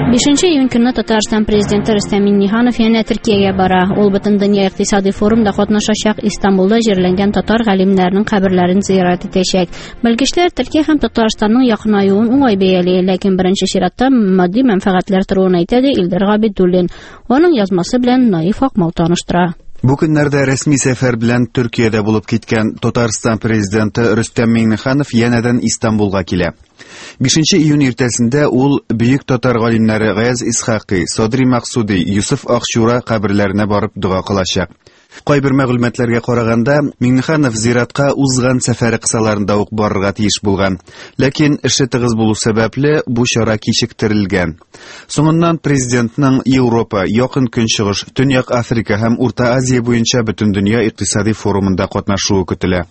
Бишенче июнь көнне Татарстан президенты Рөстәм Миңнеханов янә Төркиягә бара. Ул Бөтендөнья икътисади форумда катнашачак, Истанбулда җирләнгән татар галимнәренең каберләрен зиярат итәчәк. Белгечләр Төркия һәм Татарстанның якынаюын уңай бәяли, ләкин беренче чиратта матди мәнфәгатьләр торуын әйтә, ди Илдар Габидуллин. Аның язмасы белән Наиф Акмал таныштыра. Бу көннәрдә рәсми сәфәр белән Төркиядә булып киткән Татарстан президенты Рөстәм Миңнеханов янәдән Истанбулга килә. 5 июнь иртәсендә ул бөек татар галимнәре Гаяз Исхакый, Садри Максуди, Юсуф Акчура каберләренә барып дога кылачак. Кайбер мәгълүматларга караганда, Миңнеханов зиратка узган сәфәре кысаларында ук барырга тиеш булган. Ләкин эше тыгыз булу сәбәпле, бу чара кичектерелгән. Соңыннан президентның Европа, Якын Көнчыгыш, Төньяк Африка һәм Урта Азия буенча Бөтендөнья икътисади форумында катнашуы көтелә.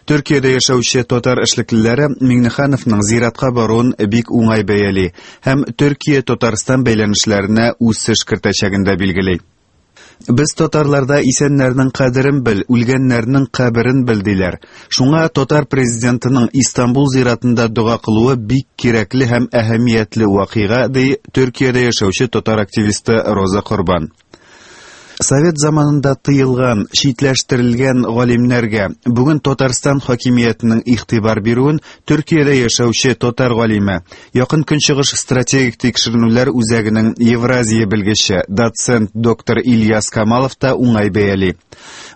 Төркиядә яшәүче татар эшлеклеләре Миңнехановның зиратка баруын бик уңай бәяли һәм Төркия-Татарстан бәйләнешләренә үсеш кертәчәген дә билгели. Без татарларда исәннәрнең кадерен бел, үлгәннәрнең каберен бел диләр. Шуңа татар президентының Истанбул зиратында дога кылуы бик кирәкле һәм әһәмиятле вакыйга, ди Төркиядә яшәүче татар активисты Роза Корбан. Совет заманында тыелган, читләштерелгән галимнәргә бүген Татарстан хакимиятенең игътибар бирүен Төркиядә яшәүче татар галиме, Якын Көнчыгыш стратегик тикшеренүләр үзәгенең Евразия белгече, доцент доктор Ильяс Камалов та уңай бәяли.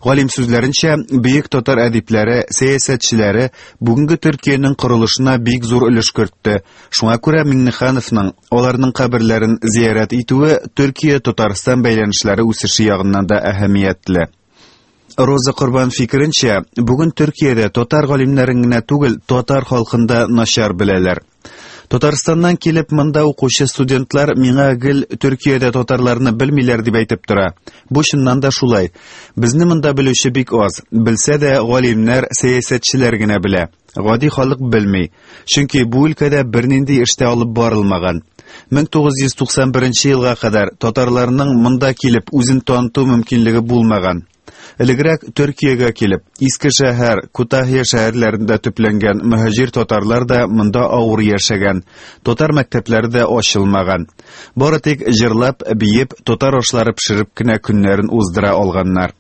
Галим сүзләренчә, бөек татар әдипләре, сәясәтчеләре бүгенге Төркиянең корылышына бик зур өлеш кертте. Шуңа күрә Миңнехановның аларның каберләрен зиярәт итүе Төркия-Татарстан бәйләнешләре үсеше ягыннан да әһәмиятле. Роза Корбан фикеренчә, бүген Төркиядә татар галимнәрен генә түгел, татар халкын да начар беләләр. Татарстаннан килеп монда укучы студентлар миңа гел Төркиядә татарларны белмиләр дип әйтеп тора. Бу чыннан да шулай. Безне монда белүче бик аз. Белсә дә, галимнәр, сәясәтчеләр генә белә. Гади халык белми, чөнки бу өлкәдә бернинди эш тә алып барылмаган. 1991 елга кадәр татарларның монда килеп үзен таныту мөмкинлеге булмаган. Элегрәк Төркиягә килеп, Иске шәһәр, Кутаһия шәһәрләрендә төпләнгән мөһаҗир татарлар да монда авыр яшәгән, татар мәктәпләре дә ачылмаган. Бары тик җырлап, биеп, татар ашлары пешереп кенә көннәрен уздыра алганнар.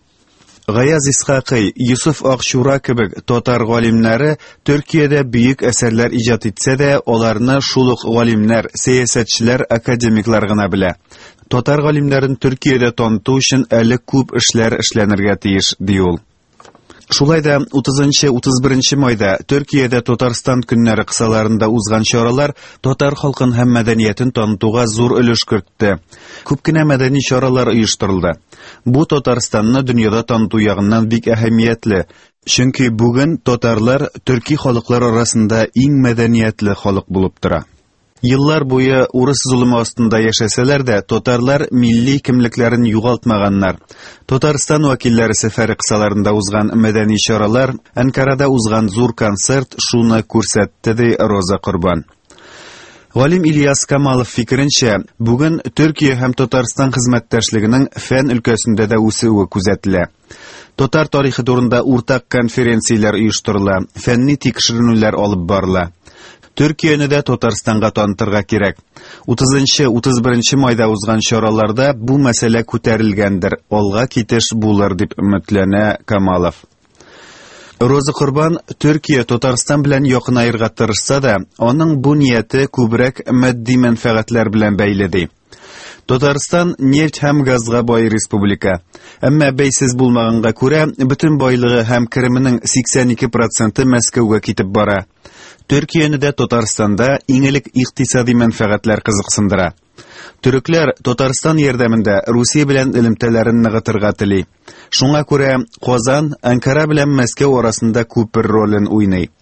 Гаяз Исхакый, Йосыф Акчура кебек татар галимнәре Төркиядә бөек әсәрләр иҗат итсә дә, аларны шул ук галимнәр, сәясәтчеләр, академиклар гына белә. Татар галимнәрен Төркиядә таныту өчен әле күп эшләр эшләнергә тиеш, ди ул. Шулай да 30-31 майда Төркиядә Татарстан көннәре кысаларында узган чаралар татар халкын һәм мәдәниятен танытуга зур өлеш кертте. Күп кенә мәдәни чаралар оештырылды. Бу Татарстанны дөньяда таныту ягыннан бик әһәмиятле, чөнки бүген татарлар төрки халыклар арасында иң мәдәниятле халык булып тора. Еллар буе урыс золымы астында яшәсәләр дә, татарлар милли кемлекләрен югалтмаганнар. Татарстан вәкилләре сәфәре кысаларында узган мәдәни чаралар, Әнкарада узган зур концерт шуны күрсәтте, ди Роза Корбан. Галим Ильяс Камалов фикеренчә, бүген Төркия һәм Татарстан хезмәттәшлегенең фән өлкәсендә дә үсүе күзәтелә. Татар тарихы турында уртак конференцияләр оештырыла, фәнни тикшеренүләр алып барыла. Төркияне дә Татарстанга танытырга кирәк. 30-31 майда узган чараларда бу мәсьәлә күтәрелгәндер, алга китеш булыр дип өметләнә Камалов. Роза Корбан Төркия Татарстан белән якынаерга тырышса да, аның бу нияте күбрәк матди мәнфәгатьләр белән бәйле ди. Татарстан нефть һәм газга бай республика. Әмма бәйсез булмаганга күрә, бөтен байлыгы һәм кеременең 82 проценты Мәскәүгә китеп бара. Төркияне дә Татарстанда иң элек икътисади мәнфәгатьләр кызыксындыра. Төрекләр Татарстан ярдәмендә Русия белән элемтәләрен ныгытырга тели. Шуңа күрә Казан Анкара белән Мәскәү арасында күпер ролен уйный.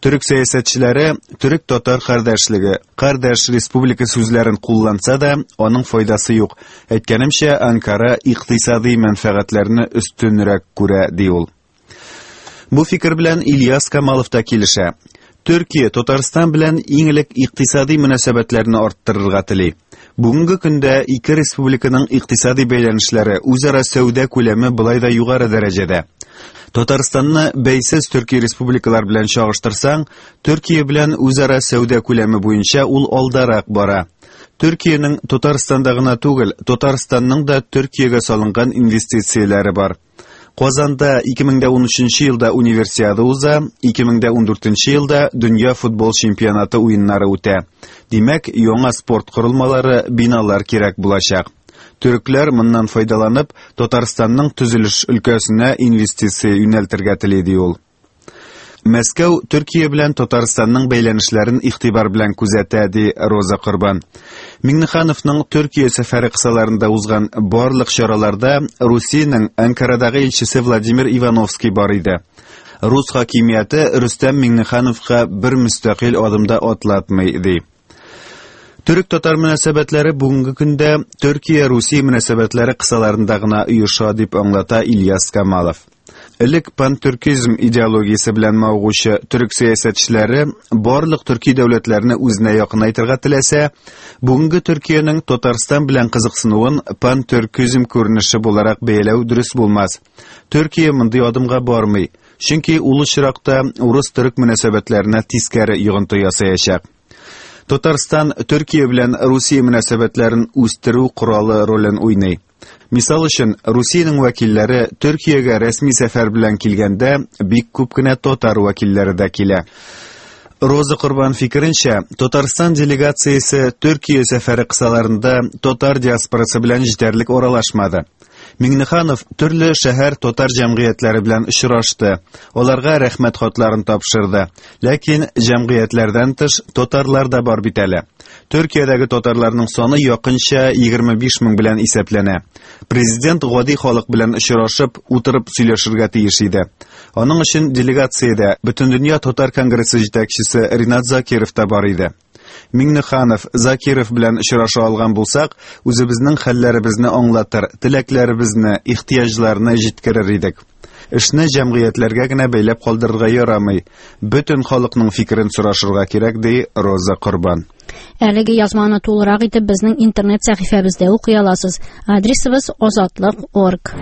Төрек сәясәтчеләре төрек-татар кардәшлеге, кардәш республика сүзләрен кулланса да, аның файдасы юк. Әйткәнемчә, Анкара икътисади мәнфәгатьләрне өстенрәк күрә, ди ул. Бу фикер белән Ильяс Камалов та килешә. Төркия Татарстан белән иң элек икътисади мөнәсәбәтләрне арттырырга тели. Бүгенге көндә ике республиканың икътисади бәйләнешләре, үзара сәүдә күләме болай да югары дәрәҗәдә. Татарстанны бәйсез төрки республикалар белән чагыштырсаң, Төркия белән үзара сәүдә күләме буенча ул алдарак бара. Төркиянең Татарстанда гына түгел, Татарстанның да Төркиягә салынган инвестицияләре бар. Казанда 2013 елда Универсиада уза, 2014 елда Дөнья футбол чемпионаты уеннары үтә. Димәк, яңа спорт корылмалары, биналар кирәк булачак. Төрекләр моннан файдаланып, Татарстанның төзелеш өлкәсенә инвестиция юнәлтергә тели, ди ул. Мәскәү Төркия белән Татарстанның бәйләнешләрен игътибар белән күзәтә, ди Роза Корбан. Миңнехановның Төркия сәфәре кысаларында узган барлык чараларда Русиянең Анкарадагы илчесе Владимир Ивановский бар иде. Рус хакимияте Рөстәм Миңнехановка бер мөстәкыйль адым да атлатмый, ди. Төрек-татар мөнәсәбәтләре бүгенге көндә Төркия-Русия мөнәсәбәтләре кысаларында гына оеша, дип аңлата Ильяс Камалов. Элек пантюркизм идеологиясе белән мавыгучы төрек сәясәтчеләре барлык төрки дәүләтләрне үзенә якынайтырга теләсә, бүгенге Төркиянең Татарстан белән кызыксынуын пантюркизм күренеше буларак бәяләү дөрес булмас. Төркия мондый адымга бармый, чөнки ул очракта урыс-төрек мөнәсәбәтләренә тискәре йогынты ясаячак. Татарстан Төркия белән Русия мөнәсәбәтләрен үстерү коралы ролен уйный. Мисал өчен, Русиянең вәкилләре Төркиягә рәсми сәфәр белән килгәндә, бик күп кенә татар вәкилләре дә килә. Роза Корбан фикеренчә, Татарстан делегациясе Төркия сәфәре кысаларында татар диаспорасы белән җитәрлек аралашмады. Миңнеханов төрле шәһәр татар җәмгыятьләре белән очрашты, аларга рәхмәт хатларын тапшырды. Ләкин җәмгыятьләрдән тыш татарлар да бар бит әле. Төркиядәге татарларның саны якынча 25 мең белән исәпләнә. Президент гади халык белән очрашып, утырып сөйләшергә тиеш иде. Аның өчен делегациядә Бөтендөнья татар конгрессы җитәкчесе Ринат Закиров та бар иде. Миңнеханов, Закиров белән очраша алган булсак, үзебезнең хәлләребезне аңлатыр, теләкләребезне, ихтыяҗларны җиткерер идек. Эшне җәмгыятьләргә генә бәйләп калдырырга ярамый. Бөтен халыкның фикерен сорашырга кирәк, ди Роза Корбан. Әлеге язманы тулырак итеп безнең интернет сәхифәбездә укый аласыз. Адресыбыз озатлык.орг.